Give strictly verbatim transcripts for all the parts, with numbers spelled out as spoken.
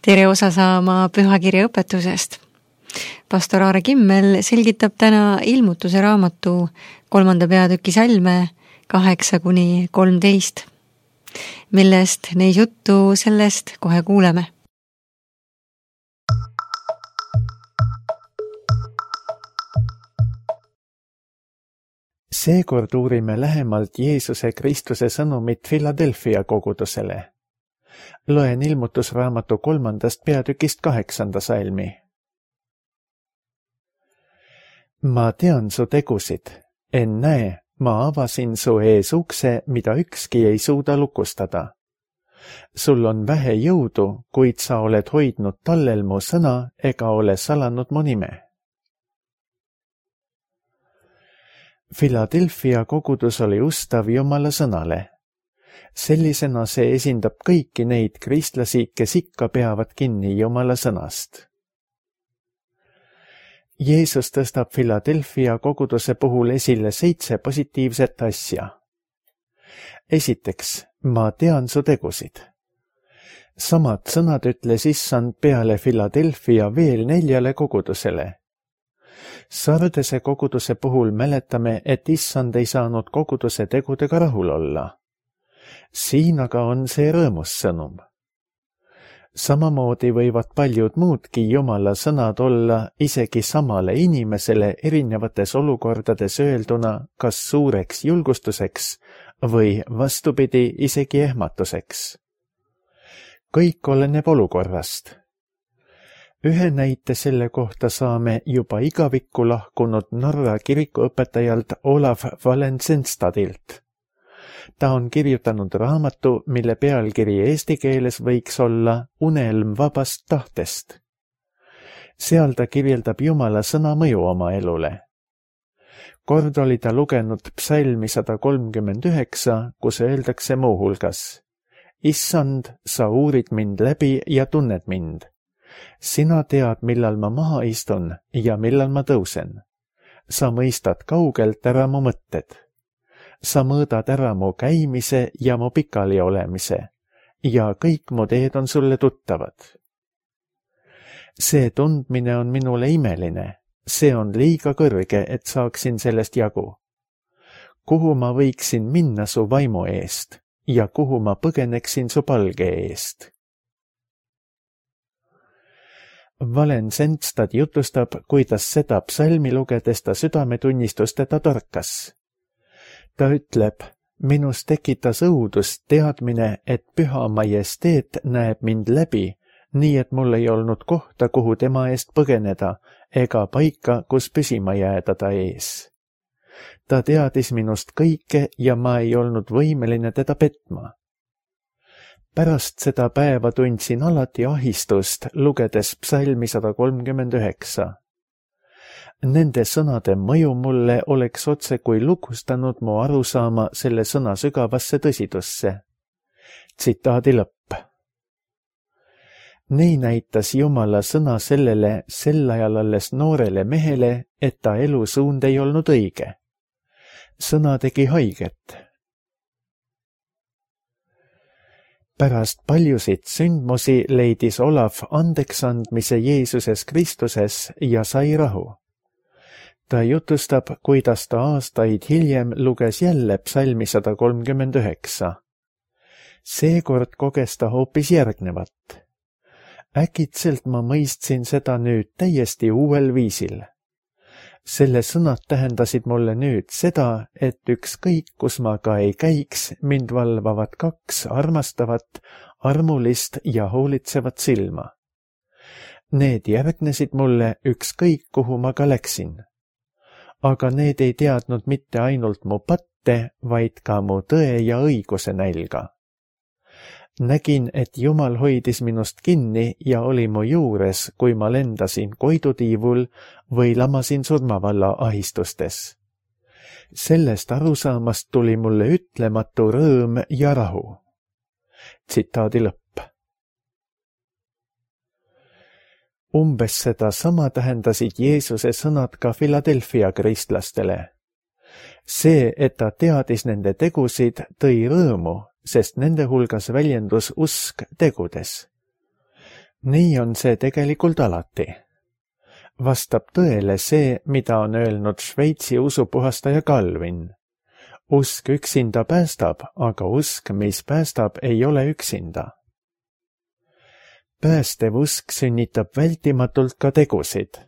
tere osa saama pühakirja õpetusest. Pastor Aare Kimmel selgitab täna ilmutuse raamatu kolmanda peatüki salme kaheksa kuni kolmteist. Millest neis juttu, sellest kohe kuuleme. Seekord uurime lähemalt Jeesuse Kristuse sõnumit Philadelphia kogudusele. Loen ilmutusraamatu kolmandast peatükist kaheksanda salmi. Ma tean su tegusid, en näe, ma avasin su ees ukse, mida ükski ei suuda lukustada. Sul on vähe jõudu, kuid sa oled hoidnud tallel mu sõna ega ole salanud mu nime. Philadelphia kogudus oli ustav Jumala sõnale. Sellisena see esindab kõiki neid kristlasi, kes ikka peavad kinni Jumala sõnast. Jeesus tõstab Philadelphia koguduse puhul esile seitse positiivset asja. Esiteks, ma tean su tegusid. Samad sõnad ütles Issand peale Philadelphia veel neljale kogudusele. Sardese koguduse puhul mäletame, et Issand ei saanud koguduse tegudega rahul olla. Siin aga on see rõõmus sõnum. Samamoodi võivad paljud muudki Jumala sõnad olla isegi samale inimesele erinevates olukordades öelduna kas suureks julgustuseks või vastupidi isegi ehmatuseks. Kõik oleneb olukorrast. Ühe näite selle kohta saame juba igavikku lahkunud Norra kirikuõpetajalt Olaf Valensenstadilt. Ta on kirjutanud raamatu, mille pealkiri eesti keeles võiks olla Unelm vabast tahtest. Seal ta kirjeldab Jumala sõna mõju oma elule. Kord oli ta lugenud psalmi sada kolmkümmend üheksa, kus öeldakse muuhulgas: Issand, sa uurid mind läbi ja tunned mind. Sina tead, millal ma maha istun ja millal ma tõusen. Sa mõistad kaugelt ära mu mõtted. Sa mõõdad ära mu käimise ja mu pikali olemise ja kõik mu teed on sulle tuttavad. See tundmine on minule imeline, see on liiga kõrge, et saaksin sellest jagu. Kuhu ma võiksin minna su vaimu eest ja kuhu ma põgeneksin su palge eest? Valensenstad jutustab, kuidas seda psalmi lugedes ta südametunnistust teda torkas. Ta ütleb, minus tekitas õudust teadmine, et püha majesteet näeb mind läbi, nii et mul ei olnud kohta, kuhu tema eest põgeneda, ega paika, kus püsima jääda ta ees. Ta teadis minust kõike ja ma ei olnud võimeline teda petma. Pärast seda päeva tundsin alati ahistust, lugedes psalmi sada kolmkümmend üheksa. Nende sõnade mõju mulle oleks otse kui lukustanud mu arusaama selle sõna sügavasse tõsidusse. Tsitaadi lõpp. Nii näitas Jumala sõna sellele sel ajal alles noorele mehele, et ta elusuund ei olnud õige. Sõna tegi haiget. Pärast paljusid sündmusi leidis Olaf andeksandmise Jeesuses Kristuses ja sai rahu. Ta jutustab, kuidas ta aastaid hiljem luges jälle psalmi sada kolmkümmend üheksa. Seekord koges ta hoopis järgnevat. Äkitselt ma mõistsin seda nüüd täiesti uuel viisil. Selle sõnad tähendasid mulle nüüd seda, et ükskõik, kus ma ka ei käiks, mind valvavad kaks armastavat, armulist ja hoolitsevat silma. Need järgnesid mulle ükskõik, kuhu ma ka läksin. Aga need ei teadnud mitte ainult mu patte, vaid ka mu tõe ja õiguse nälga. Nägin, et Jumal hoidis minust kinni ja oli mu juures, kui ma lendasin koidutiivul või lamasin surmavalla ahistustes. Sellest arusaamast tuli mulle ütlematu rõõm ja rahu. Tsitaadi lõpp. Umbes seda sama tähendasid Jeesuse sõnad ka Philadelphia kristlastele. See, et ta teadis nende tegusid, tõi rõõmu, sest nende hulgas väljendus usk tegudes. nii on see tegelikult alati. Vastab tõele see, mida on öelnud Šveitsi usupuhastaja Calvin. Usk üksinda päästab, aga usk, mis päästab, ei ole üksinda. Päästev usk sünnitab vältimatult ka tegusid.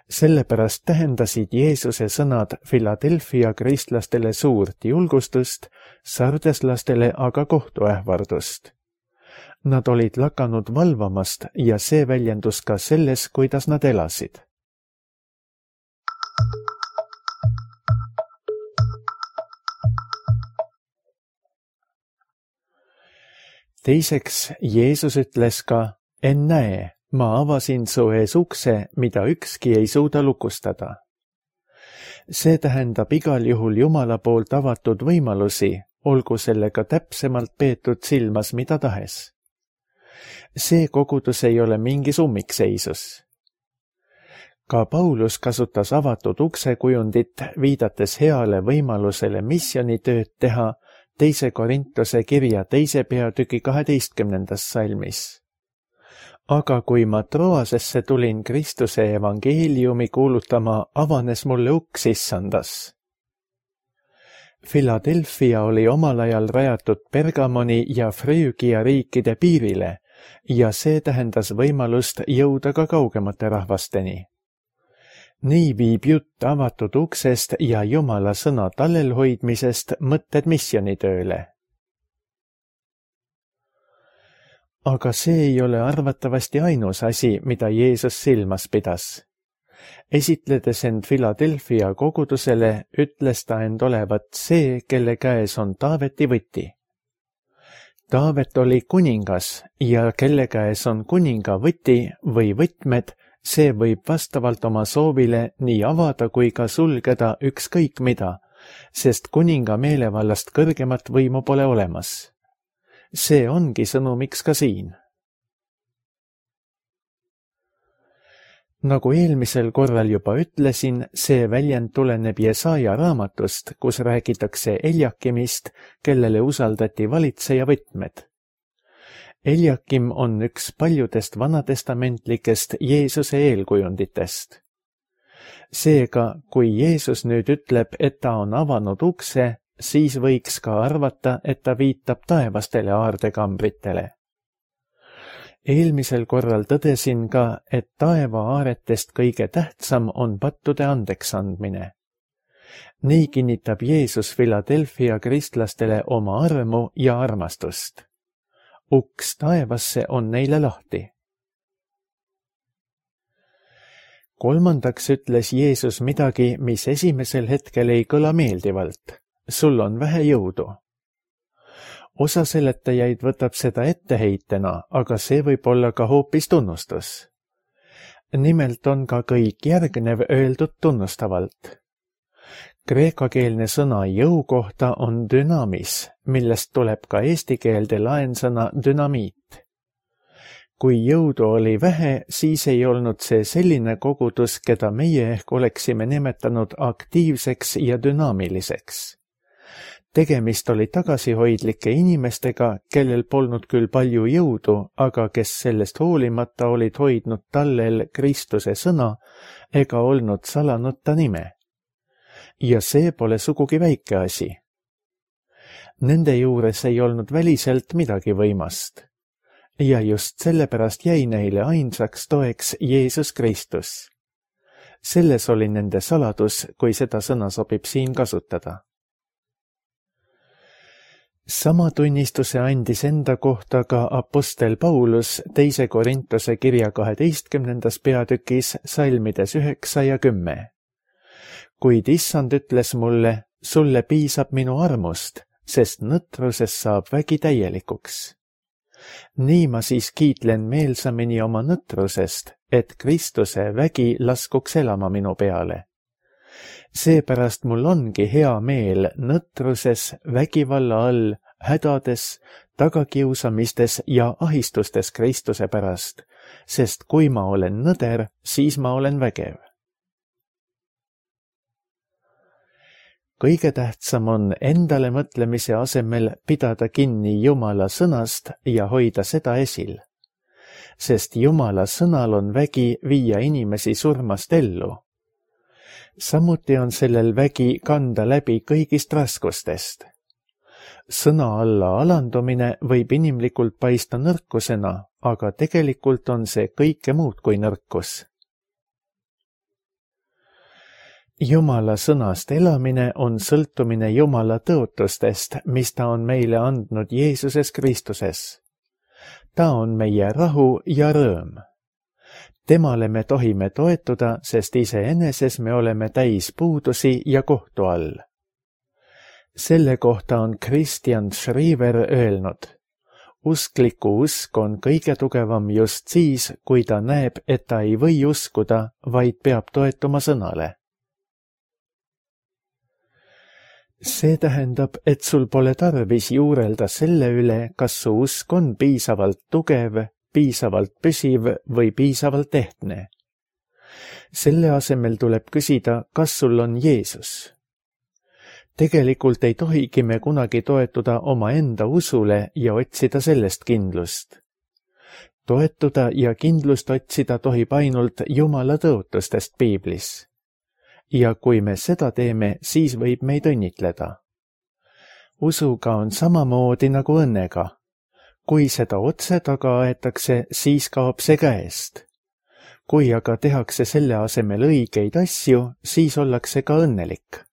Sellepärast tähendasid Jeesuse sõnad Philadelphia kristlastele suurt julgustust, sardeslastele aga kohtuähvardust. Nad olid lakanud valvamast ja see väljendus ka selles, kuidas nad elasid. Teiseks, Jeesus ütles ka, ennäe, ma avasin su ees ukse, mida ükski ei suuda lukustada. See tähendab igal juhul Jumala poolt avatud võimalusi, olgu sellega täpsemalt peetud silmas mida tahes. See kogudus ei ole mingis ummikseisus. Ka Paulus kasutas avatud ukse kujundit, viidates heale võimalusele missionitööd teha teise Korintuse kirja teise peatüki kaheteistkümnendas salmis. Aga kui ma Troasesse tulin Kristuse evangeeliumi kuulutama, avanes mulle uks issandas. Philadelphia oli omal ajal rajatud Pergamoni ja Früügia riikide piirile ja see tähendas võimalust jõuda ka kaugemate rahvasteni. Nii viib jutt avatud uksest ja Jumala sõna tallelhoidmisest mõtted missionitööle. Aga see ei ole arvatavasti ainus asi, mida Jeesus silmas pidas. Esitledes end Philadelphia kogudusele, ütles ta end olevat see, kelle käes on Taaveti võti. Taavet oli kuningas ja kelle käes on kuninga võti või võtmed, see võib vastavalt oma soovile nii avada kui ka sulgeda ükskõik mida, sest kuninga meelevallast kõrgemat võimu pole olemas. See ongi sõnumiks ka siin. Nagu eelmisel korral juba ütlesin, see väljend tuleneb Jesaja raamatust, kus räägitakse Eliakimist, kellele usaldati valitseja võtmed. Eliakim on üks paljudest vanatestamentlikest Jeesuse eelkujunditest. Seega, kui Jeesus nüüd ütleb, et ta on avanud ukse, siis võiks ka arvata, et ta viitab taevastele aardekambritele. Eelmisel korral tõdesin ka, et taeva aaretest kõige tähtsam on pattude andeks andmine. Nii kinnitab Jeesus Philadelphia kristlastele oma armu ja armastust. Uks taevasse on neile lahti. Kolmandaks ütles Jeesus midagi, mis esimesel hetkel ei kõla meeldivalt. Sul on vähe jõudu. Osa seletajaid võtab seda etteheitena, aga see võib olla ka hoopis tunnustus. Nimelt on ka kõik järgnev öeldud tunnustavalt. Kreekakeelne sõna jõu kohta on dünamis, millest tuleb ka eesti keelde laensõna dünamiit. Kui jõudu oli vähe, siis ei olnud see selline kogudus, keda meie ehk oleksime nimetanud aktiivseks ja dünaamiliseks. Tegemist oli tagasihoidlike inimestega, kellel polnud küll palju jõudu, aga kes sellest hoolimata olid hoidnud tallel Kristuse sõna ega olnud salanud ta nime. Ja see pole sugugi väike asi. Nende juures ei olnud väliselt midagi võimast. Ja just sellepärast jäi neile ainsaks toeks Jeesus Kristus. Selles oli nende saladus, kui seda sõna sobib siin kasutada. Sama tunnistuse andis enda kohta ka apostel Paulus teise Korintuse kirja kaheteistkümnendas peatükis salmides üheksa ja kümme. Kuid issand ütles mulle, sulle piisab minu armust, sest nõtruses saab vägi täielikuks. Nii ma siis kiitlen meelsamini oma nõtrusest, et Kristuse vägi laskuks elama minu peale. Seepärast mul ongi hea meel nõtruses, vägivalla all, hädades, tagakiusamistes ja ahistustes Kristuse pärast, sest kui ma olen nõder, siis ma olen vägev. Kõige tähtsam on endale mõtlemise asemel pidada kinni Jumala sõnast ja hoida seda esil. sest Jumala sõnal on vägi viia inimesi surmast ellu. Samuti on sellel vägi kanda läbi kõigist raskustest. Sõna alla alandumine võib inimlikult paista nõrkusena, aga tegelikult on see kõike muud kui nõrkus. Jumala sõnast elamine on sõltumine Jumala tõotustest, mis ta on meile andnud Jeesuses Kristuses. Ta on meie rahu ja rõõm. Temale me tohime toetuda, sest iseeneses me oleme täis puudusi ja kohtu all. Selle kohta on Christian Schriver öelnud: uskliku usk on kõige tugevam just siis, kui ta näeb, et ta ei või uskuda, vaid peab toetuma sõnale. See tähendab, et sul pole tarvis juurelda selle üle, kas su usk on piisavalt tugev, piisavalt püsiv või piisavalt ehtne. Selle asemel tuleb küsida, kas sul on Jeesus. Tegelikult ei tohigi me kunagi toetuda omaenda usule ja otsida sellest kindlust. Toetuda ja kindlust otsida tohib ainult Jumala tõotustest Piiblis. Ja kui me seda teeme, siis võib meid õnnitleda. Usuga on samamoodi nagu õnnega. Kui seda otse taga aetakse, siis kaob see käest. Kui aga tehakse selle asemel õigeid asju, siis ollakse ka õnnelik.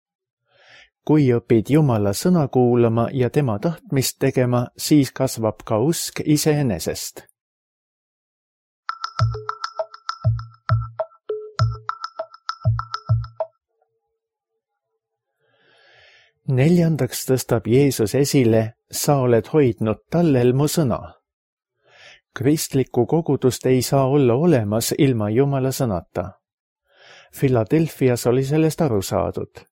Kui õpid Jumala sõna kuulama ja tema tahtmist tegema, siis kasvab ka usk iseenesest. Neljandaks tõstab Jeesus esile: sa oled hoidnud tallel mu sõna. Kristlikku kogudust ei saa olla olemas ilma Jumala sõnata. Philadelphias oli sellest aru saadud.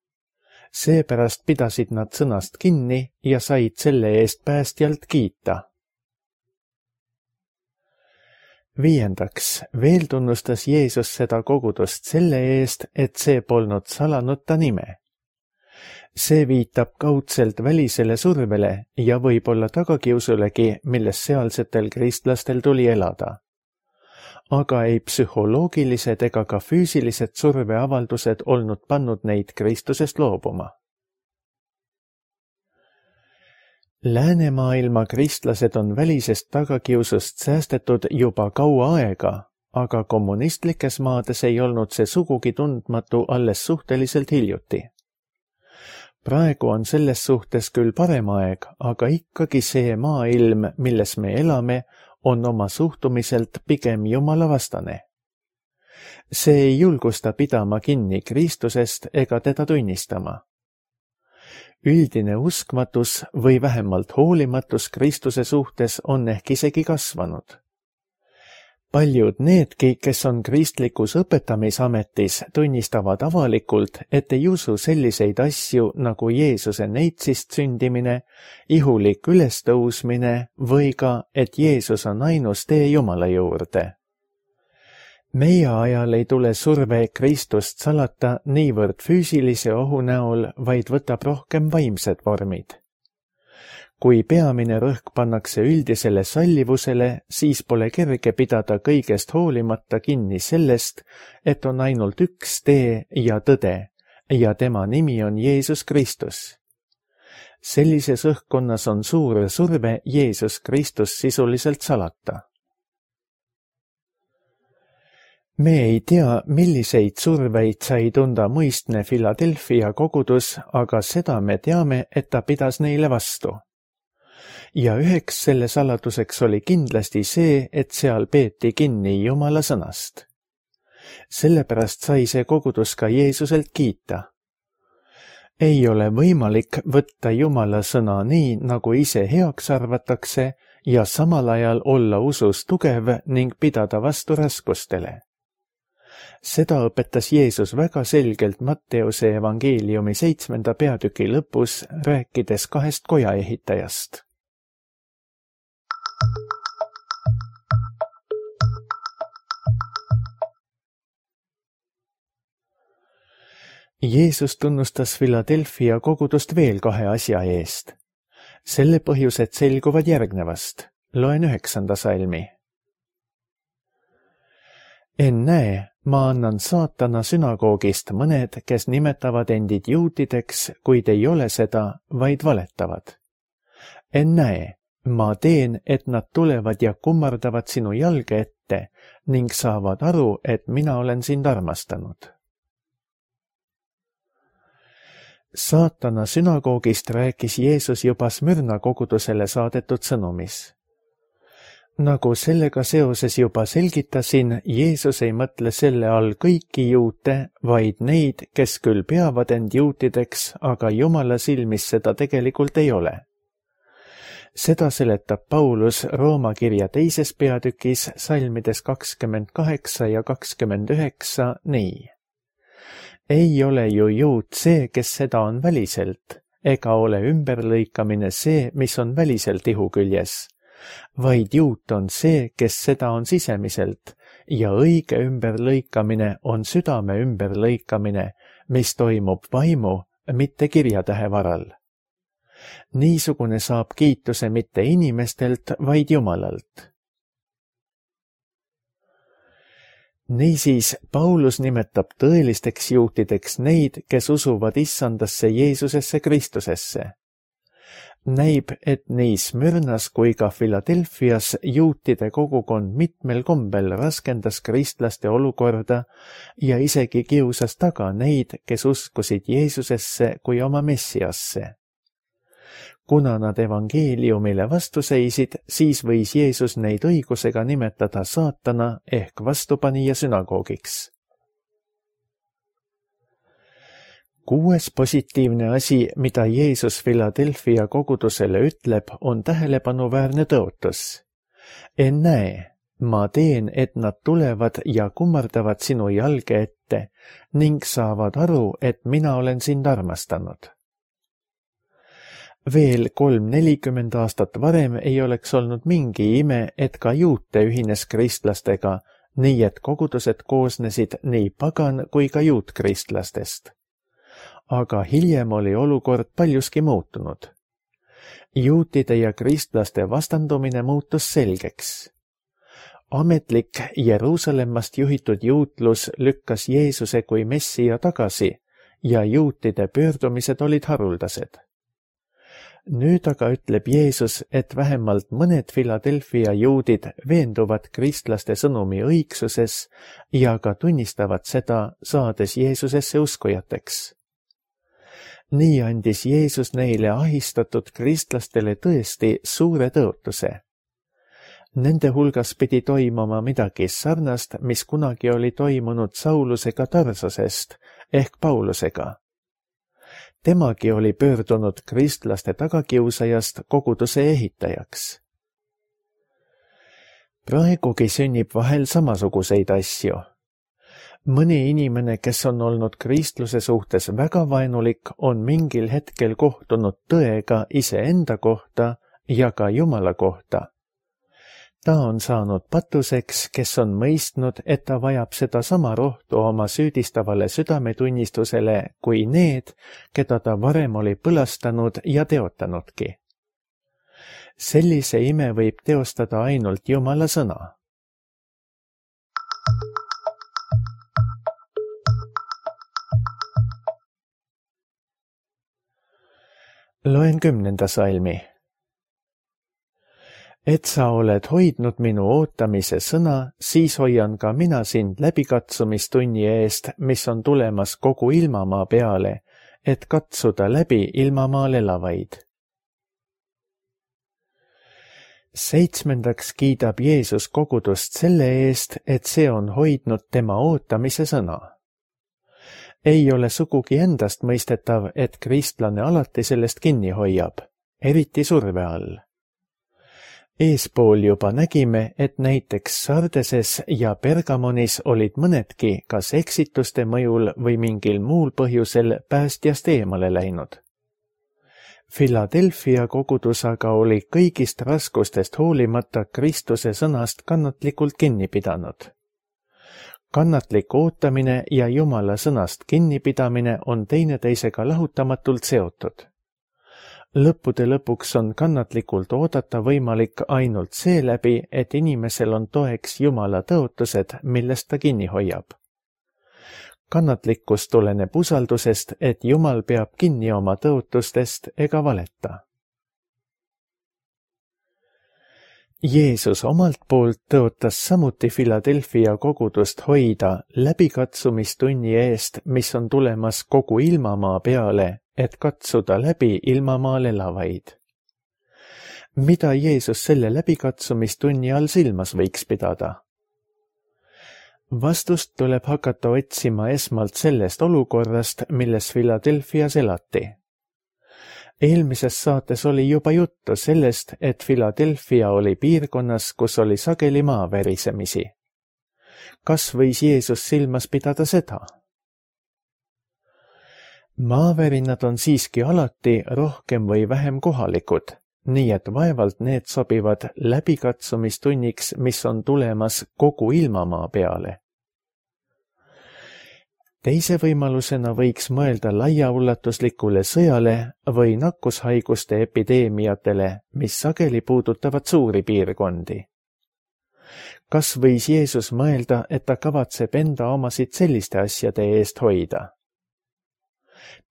Seepärast pidasid nad sõnast kinni ja said selle eest päästjalt kiita. Viiendaks, veel tunnustas Jeesus seda kogudust selle eest, et see polnud salanud ta nime. See viitab kaudselt välisele survele ja võib olla tagakiusulegi, milles sealsetel kristlastel tuli elada. Aga ei psühholoogilised ega ka füüsilised surveavaldused olnud pannud neid Kristusest loobuma. Läänemaailma kristlased on välisest tagakiusust säästetud juba kaua aega, aga kommunistlikes maades ei olnud see sugugi tundmatu alles suhteliselt hiljuti. Praegu on selles suhtes küll parem aeg, aga ikkagi see maailm, milles me elame, on oma suhtumiselt pigem Jumala vastane. See ei julgusta pidama kinni Kristusest ega teda tunnistama. Üldine uskmatus või vähemalt hoolimatus Kristuse suhtes on ehk isegi kasvanud. Paljud needki, kes on kristlikus õpetamisametis, tunnistavad avalikult, et ei usu selliseid asju nagu Jeesuse neitsist sündimine, ihulik ülestõusmine või ka, et Jeesus on ainus tee Jumala juurde. Meie ajal ei tule surve Kristust salata niivõrd füüsilise ohu näol, vaid võtab rohkem vaimsed vormid. Kui peamine rõhk pannakse üldisele sallivusele, siis pole kerge pidada kõigest hoolimata kinni sellest, et on ainult üks tee ja tõde ja tema nimi on Jeesus Kristus. Sellises õhkkonnas on suur surve Jeesus Kristus sisuliselt salata. Me ei tea, milliseid surveid sai tunda muistne Philadelphia kogudus, aga seda me teame, et ta pidas neile vastu. Ja üheks selle saladuseks oli kindlasti see, et seal peeti kinni Jumala sõnast. Sellepärast sai see kogudus ka Jeesuselt kiita. Ei ole võimalik võtta Jumala sõna nii, nagu ise heaks arvatakse, ja samal ajal olla usus tugev ning pidada vastu raskustele. Seda õpetas Jeesus väga selgelt Matteuse evangeeliumi seitsmenda peatüki lõpus, rääkides kahest kojaehitajast. Jeesus tunnustas Philadelphia kogudust veel kahe asja eest. Selle põhjused selguvad järgnevast. Loen üheksanda salmi. ennäe, ma annan saatana sünagoogist mõned, kes nimetavad endid juutideks, kuid ei ole seda, vaid valetavad. ennäe, ma teen, et nad tulevad ja kummardavad sinu jalge ette ning saavad aru, et mina olen sind armastanud. Saatana sünagoogist rääkis Jeesus juba Smyrna kogudusele saadetud sõnumis. Nagu sellega seoses juba selgitasin, Jeesus ei mõtle selle all kõiki juute, vaid neid, kes küll peavad end juutideks, aga Jumala silmis seda tegelikult ei ole. Seda seletab Paulus Rooma kirja teises peatükis salmides kakskümmend kaheksa ja kakskümmend üheksa nii. Ei ole ju juut see, kes seda on väliselt, ega ole ümberlõikamine see, mis on väliselt ihu küljes, vaid juut on see, kes seda on sisemiselt, ja õige ümberlõikamine on südame ümberlõikamine, mis toimub vaimu, mitte kirjatähe varal. Niisugune saab kiituse mitte inimestelt, vaid Jumalalt. Niisiis, Paulus nimetab tõelisteks juutideks neid, kes usuvad issandasse Jeesusesse Kristusesse. Näib, et nii Smyrnas kui ka Philadelphias juutide kogukond mitmel kombel raskendas kristlaste olukorda ja isegi kiusas taga neid, kes uskusid Jeesusesse kui oma messiasse. Kuna nad evangeeliumile vastu seisid, siis võis Jeesus neid õigusega nimetada saatana ehk vastupanija sünagoogiks. Kuues positiivne asi, mida Jeesus Philadelphia kogudusele ütleb, on tähelepanuväärne tõotus. Ennäe, ma teen, et nad tulevad ja kummardavad sinu jalge ette ning saavad aru, et mina olen sind armastanud. Veel kolm nelikümmend aastat varem ei oleks olnud mingi ime, et ka juute ühines kristlastega, nii et kogudused koosnesid nii pagan kui ka juutkristlastest. Aga hiljem oli olukord paljuski muutunud. Juutide ja kristlaste vastandumine muutus selgeks. Ametlik Jeruusalemmast juhitud juutlus lükkas Jeesuse kui messija tagasi ja juutide pöördumised olid haruldased. Nüüd aga ütleb Jeesus, et vähemalt mõned Philadelphia juudid veenduvad kristlaste sõnumi õigsuses ja ka tunnistavad seda, saades Jeesusesse uskujateks. Nii andis Jeesus neile ahistatud kristlastele tõesti suure tõotuse. Nende hulgas pidi toimuma midagi sarnast, mis kunagi oli toimunud Saulusega Tarsosest ehk Paulusega. Temagi oli pöördunud kristlaste tagakiusajast koguduse ehitajaks. Praegugi sünnib vahel samasuguseid asju. Mõni inimene, kes on olnud kristluse suhtes väga vaenulik, on mingil hetkel kohtunud tõega iseenda kohta ja ka Jumala kohta. Ta on saanud patuseks, kes on mõistnud, et ta vajab seda sama rohtu oma süüdistavale südametunnistusele kui need, keda ta varem oli põlastanud ja teotanudki. Sellise ime võib teostada ainult Jumala sõna. Loen kümnenda salmi. Et sa oled hoidnud minu ootamise sõna, siis hoian ka mina sind läbikatsumistunni eest, mis on tulemas kogu ilmamaa peale, et katsuda läbi ilmamaal elavaid. Seitsmendaks kiidab Jeesus kogudust selle eest, et see on hoidnud tema ootamise sõna. Ei ole sugugi endast mõistetav, et kristlane alati sellest kinni hoiab, eriti surve all. Eespool juba nägime, et näiteks Sardeses ja Pergamonis olid mõnedki kas eksituste mõjul või mingil muul põhjusel päästjast eemale läinud. Philadelphia kogudus aga oli kõigist raskustest hoolimata Kristuse sõnast kannatlikult kinni pidanud. Kannatlik ootamine ja Jumala sõnast kinnipidamine on teineteisega lahutamatult seotud. lõppude lõpuks on kannatlikult oodata võimalik ainult seeläbi, et inimesel on toeks Jumala tõotused, millest ta kinni hoiab. Kannatlikkus tuleneb usaldusest, et Jumal peab kinni oma tõotustest ega valeta. Jeesus omalt poolt tõotas samuti Philadelphia kogudust hoida läbikatsumistunni eest, mis on tulemas kogu ilmamaa peale, et katsuda läbi ilmamaal elavaid. Mida Jeesus selle läbikatsumistunni all silmas võiks pidada? Vastust tuleb hakata otsima esmalt sellest olukorrast, milles Philadelphias elati. Eelmises saates oli juba juttu sellest, et Philadelphia oli piirkonnas, kus oli sageli maaverisemisi. Kas võis Jeesus silmas pidada seda? Maavärinad on siiski alati rohkem või vähem kohalikud, nii et vaevalt need sobivad läbikatsumistunniks, mis on tulemas kogu ilmamaa peale. Teise võimalusena võiks mõelda laiaulatuslikule sõjale või nakkushaiguste epideemiatele, mis sageli puudutavad suuri piirkondi. Kas võis Jeesus mõelda, et ta kavatseb enda omasid selliste asjade eest hoida?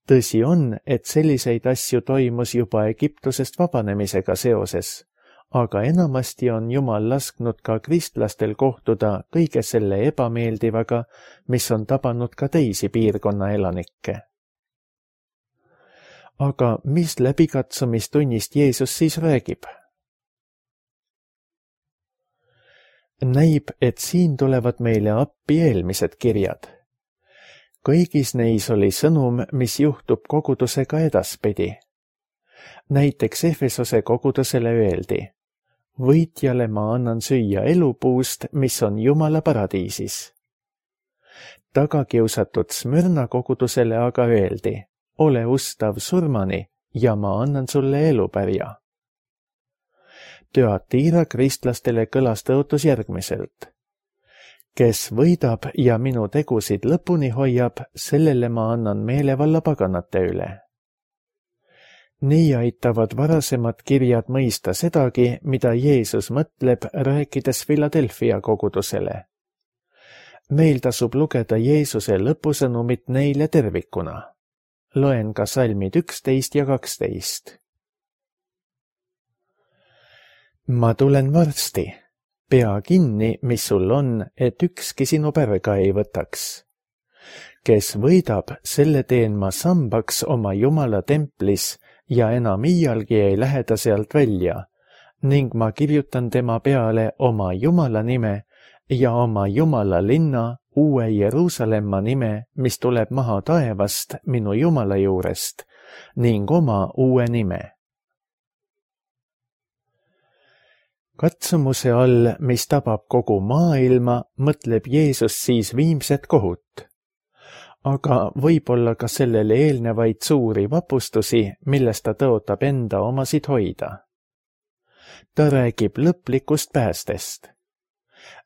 Tõsi on, et selliseid asju toimus juba Egiptusest vabanemisega seoses, aga enamasti on Jumal lasknud ka kristlastel kohtuda kõige selle ebameeldivaga, mis on tabanud ka teisi piirkonna elanikke. Aga mis läbikatsumistunnist Jeesus siis räägib? Näib, et siin tulevad meile appi eelmised kirjad. Kõigis neis oli sõnum, mis juhtub kogudusega edaspidi. Näiteks Efesose kogudusele öeldi: võitjale ma annan süüa elupuust, mis on Jumala paradiisis. Tagakiusatud Smyrna kogudusele aga öeldi: ole ustav surmani ja ma annan sulle elupärja. Thyatira kristlastele kõlas tõotus järgmiselt: kes võidab ja minu tegusid lõpuni hoiab, sellele ma annan meelevalla paganate üle. Nii aitavad varasemad kirjad mõista sedagi, mida Jeesus mõtleb, rääkides Philadelphia kogudusele. Meil tasub lugeda Jeesuse lõpusõnumit neile tervikuna. Loen ka salmid üksteist ja kaksteist. Ma tulen varsti. Pea kinni, mis sul on, et ükski sinu pärga ei võtaks. Kes võidab, selle teen ma sambaks oma Jumala templis ja enam iialgi ei lähe ta sealt välja, ning ma kirjutan tema peale oma Jumala nime ja oma Jumala linna, uue Jeruusalemma nime, mis tuleb maha taevast minu Jumala juurest, ning oma uue nime. Katsumuse all, mis tabab kogu maailma, mõtleb Jeesus siis viimset kohut. Aga võib-olla ka sellele eelnevaid suuri vapustusi, millest ta tõotab enda omasid hoida. Ta räägib lõplikust päästest.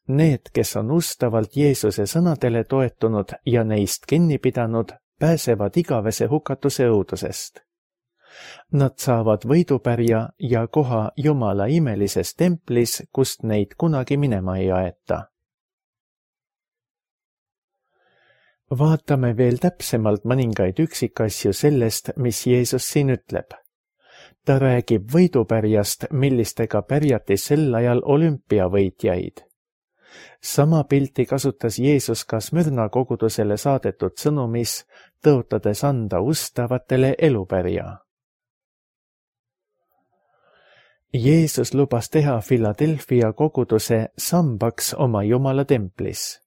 Need, kes on ustavalt Jeesuse sõnadele toetunud ja neist kinni pidanud, pääsevad igavese hukatuse õudusest. Nad saavad võidupärja ja koha Jumala imelises templis, kust neid kunagi minema ei aeta. Vaatame veel täpsemalt mõningaid üksikasju sellest, mis Jeesus siin ütleb. Ta räägib võidupärjast, millistega pärjati sel ajal olümpiavõitjaid. Sama pilti kasutas Jeesus ka Smyrna kogudusele saadetud sõnumis, tõotades anda ustavatele elupärja. Jeesus lubas teha Philadelphia koguduse sambaks oma Jumala templis.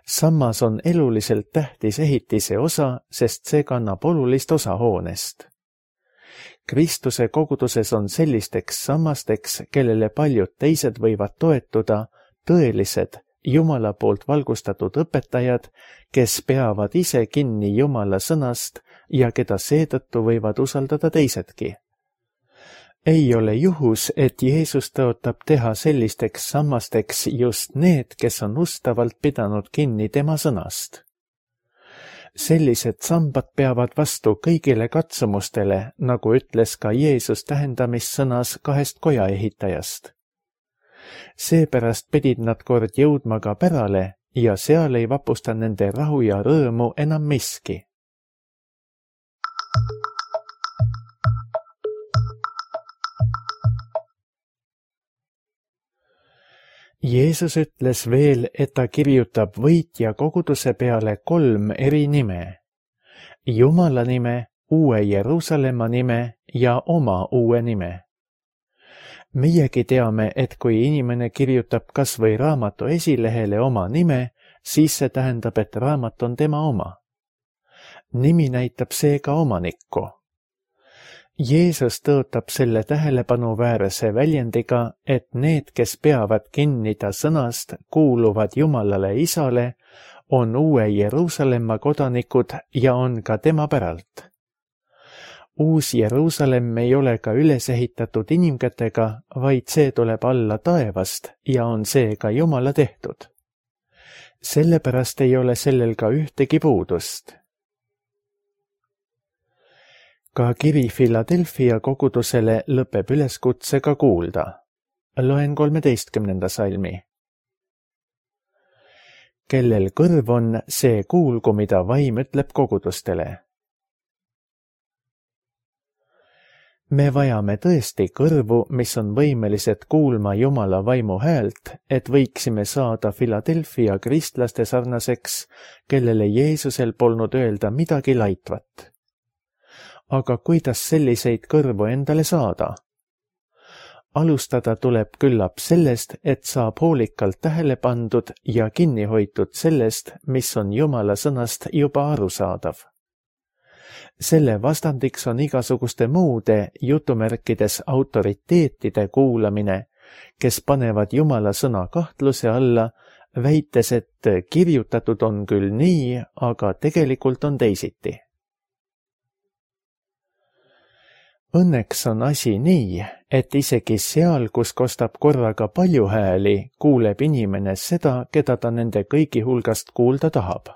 Samas on eluliselt tähtis ehitise osa, sest see kannab olulist osa hoonest. Kristuse koguduses on sellisteks sammasteks, kellele paljud teised võivad toetuda, tõelised Jumala poolt valgustatud õpetajad, kes peavad ise kinni Jumala sõnast ja keda seetõttu võivad usaldada teisedki. Ei ole juhus, et Jeesus tõotab teha sellisteks sammasteks just need, kes on ustavalt pidanud kinni tema sõnast. sellised sambad peavad vastu kõigile katsumustele, nagu ütles ka Jeesus tähendamissõnas kahest koja ehitajast. Seepärast pidid nad kord jõudma ka pärale ja seal ei vapusta nende rahu ja rõõmu enam miski. Jeesus ütles veel, et ta kirjutab võitja koguduse peale kolm eri nime. Jumala nime, uue Jeruusalemma nime ja oma uue nime. Meiegi teame, et kui inimene kirjutab kas või raamatu esilehele oma nime, siis see tähendab, et raamat on tema oma. Nimi näitab seega omanikku. Jeesus tõotab selle tähelepanuväärse väljendiga, et need, kes peavad kinni ta sõnast, kuuluvad Jumalale Isale, on uue Jeruusalemma kodanikud ja on ka tema päralt. Uus Jeruusalemm ei ole ka üles ehitatud inimkätega, vaid see tuleb alla taevast ja on seega Jumala tehtud. Sellepärast ei ole sellel ka ühtegi puudust. Ka kiri Philadelphia kogudusele lõpeb üleskutsega kuulda. Loen kolmeteistkümnenda salmi. Kellel kõrv on, see kuulgu, mida vaim ütleb kogudustele. Me vajame tõesti kõrvu, mis on võimelised kuulma Jumala vaimu häält, et võiksime saada Philadelphia kristlaste sarnaseks, kellele Jeesusel polnud öelda midagi laitvat. Aga kuidas selliseid kõrvu endale saada? Alustada tuleb küllap sellest, et saab hoolikalt tähele pandud ja kinni hoitud sellest, mis on Jumala sõnast juba arusaadav. Selle vastandiks on igasuguste muude jutumärkides autoriteetide kuulamine, kes panevad Jumala sõna kahtluse alla, väites, et kirjutatud on küll nii, aga tegelikult on teisiti. Õnneks on asi nii, et isegi seal, kus kostab korraga palju hääli, kuuleb inimene seda, keda ta nende kõigi hulgast kuulda tahab.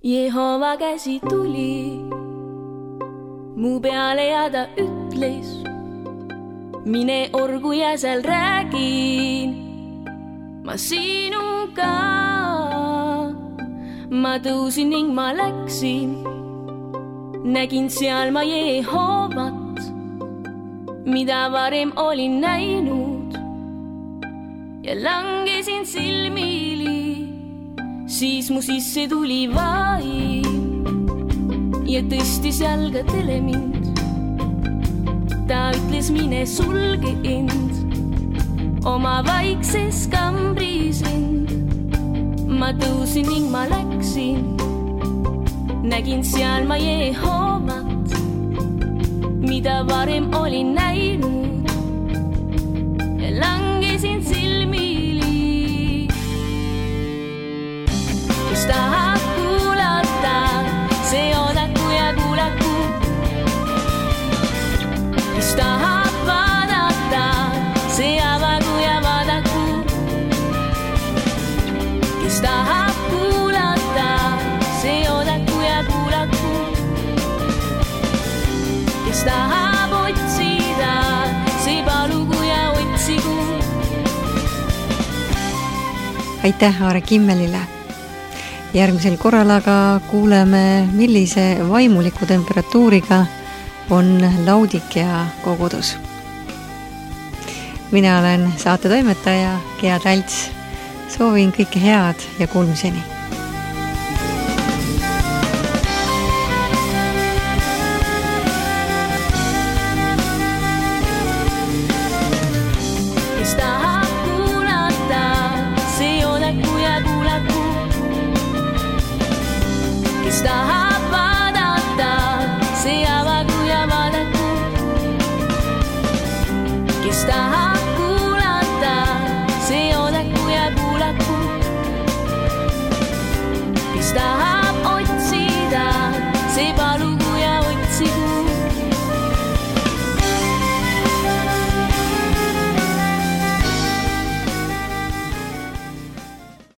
Jehova käsi tuli mu peale ja ta ütles, mine orgu ja seal räägin ma sinuga. Ma tõusin ning ma läksin, nägin seal ma Jehovat, mida varem olin näinud ja langesin silmili. Siis mu sisse tuli vaim ja tõstis jalgadele mind. Ta ütles, mine sulge end oma vaikses kambris end. Ma tõusin ning ma läksin, nägin seal ma Jehovat, mida varem olin näinud ja langesin silmili. Kes tahab kuulata, see odaku ja kuulaku. Kes tahab vaadata, see avagu ja vaadaku. Kes tahab kuulata, see odaku ja kuulaku. Kes tahab otsida, see palugu ja otsigu. Aitäh Aare Kimmelile! Järgmisel korral aga kuuleme, millise vaimuliku temperatuuriga on Laudikea kogudus. Mina olen saatetoimetaja Gea Talts. Soovin kõike head ja kuulmiseni. Kes tahab vaadata, see avagu ja vaadaku. Kes tahab kuulata, see odaku ja kuulaku. Kes tahab